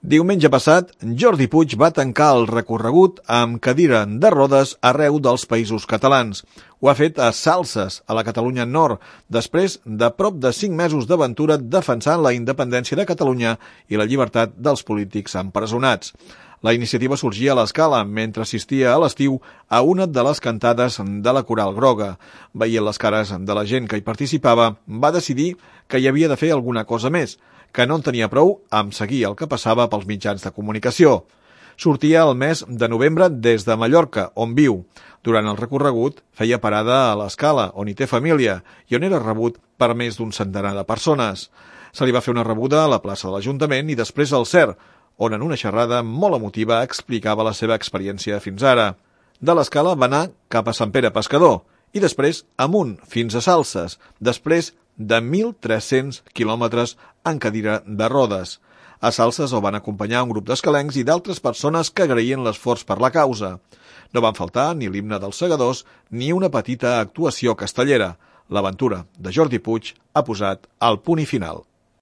Diumenge passat, Jordi Puig va tancar el recorregut amb cadira de rodes arreu dels països catalans. Ho ha fet a Salses, a la Catalunya Nord, després de prop de 5 mesos d'aventura defensant la independència de Catalunya i la llibertat dels polítics empresonats. La iniciativa sorgia a l'Escala mentre assistia a l'estiu a una de les cantades de la Coral Groga. Veient les cares de la gent que hi participava, va decidir que hi havia de fer alguna cosa més, que no en tenia prou amb seguir el que passava pels mitjans de comunicació. Sortia el mes de novembre des de Mallorca, on viu. Durant el recorregut feia parada a l'Escala, on hi té família, i on era rebut per més d'un centenar de persones. Se li va fer una rebuda a la plaça de l'Ajuntament i després al CER, on en una xerrada molt emotiva explicava la seva experiència fins ara. De l'Escala va anar cap a Sant Pere Pescador i després amunt fins a Salses, després de 1.300 quilòmetres en cadira de rodes. A Salses el van acompanyar un grup d'escalencs i d'altres persones que agraïen l'esforç per la causa. No van faltar ni l'himne dels segadors ni una petita actuació castellera. L'aventura de Jordi Puig ha posat el punt i final.